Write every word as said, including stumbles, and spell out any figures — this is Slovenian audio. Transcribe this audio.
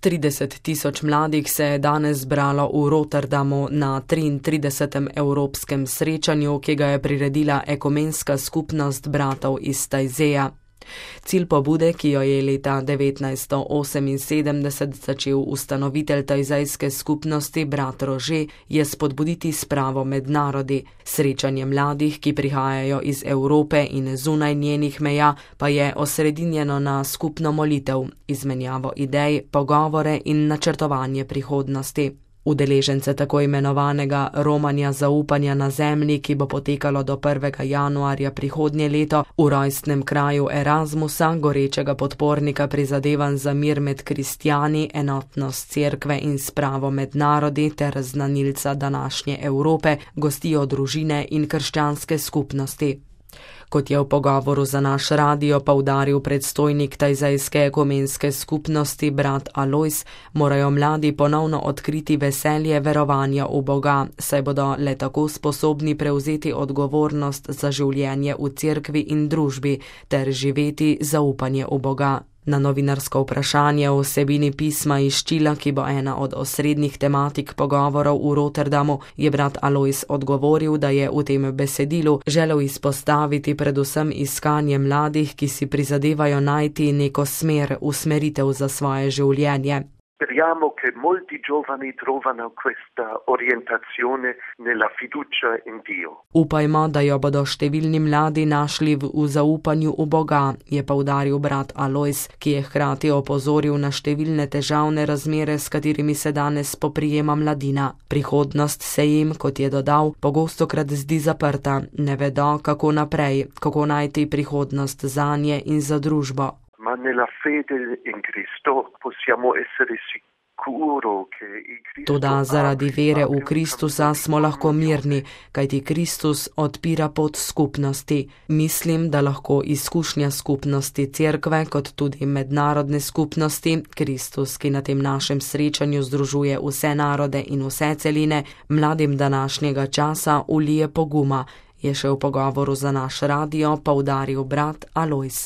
trideset tisoč mladih se je danes zbralo v Rotterdamu na triintridesetem evropskem srečanju, ki ga je priredila ekumenska skupnost bratov iz Tajzeja. Cilj pobude, ki jo je leta devetnajststo oseminsedemdeset začel ustanovitelj tajzejske skupnosti brat Rože, je spodbuditi spravo med narodi. Srečanje mladih, ki prihajajo iz Evrope in zunaj njenih meja, pa je osredinjeno na skupno molitev, izmenjavo idej, pogovore in načrtovanje prihodnosti. Udeležence tako imenovanega romanja zaupanja na zemlji, ki bo potekalo do prvega januarja prihodnje leto v rojstnem kraju Erasmusa, gorečega podpornika prizadevanj za mir med kristjani, enotnost cerkve in spravo med narodi ter znanilca današnje Evrope, gostijo družine in krščanske skupnosti. Kot je v pogovoru za naš radio poudaril predstojnik tajzejske ekumenske skupnosti brat Alojz, morajo mladi ponovno odkriti veselje verovanja v Boga, saj bodo le tako sposobni prevzeti odgovornost za življenje v cerkvi in družbi ter živeti zaupanje v Boga. Na novinarsko vprašanje o vsebini pisma iz Čila, ki bo ena od osrednjih tematik pogovorov v Rotterdamu, je brat Alojz odgovoril, da je v tem besedilu želel izpostaviti predvsem iskanje mladih, ki si prizadevajo najti neko smer, usmeritev za svoje življenje. Speriamo che molti giovani trovano questa orientazione nella fiducia in Dio. Upajmo, da jo bodo številni mladi našli v, v zaupanju v Boga, je poudaril brat Alojz, ki je hkrati opozoril na številne težavne razmere, s katerimi se danes spoprijema mladina. Prihodnost se jim, kot je dodal, pogostokrat zdi zaprta, ne vedo, kako naprej, kako najti prihodnost zanje in za družbo. Ma nella fede in Cristo possiamo essere sicuro che il Cristo. Toda zaradi vere v Kristusa smo lahko mirni, kajti Kristus odpira pot skupnosti. Mislim, da lahko izkušnja skupnosti cerkve, kot tudi mednarodne skupnosti, Kristus, ki na tem našem srečanju združuje vse narode in vse celine, mladim današnjega časa ulije poguma, je še v pogovoru za naš radio poudaril brat Alojz.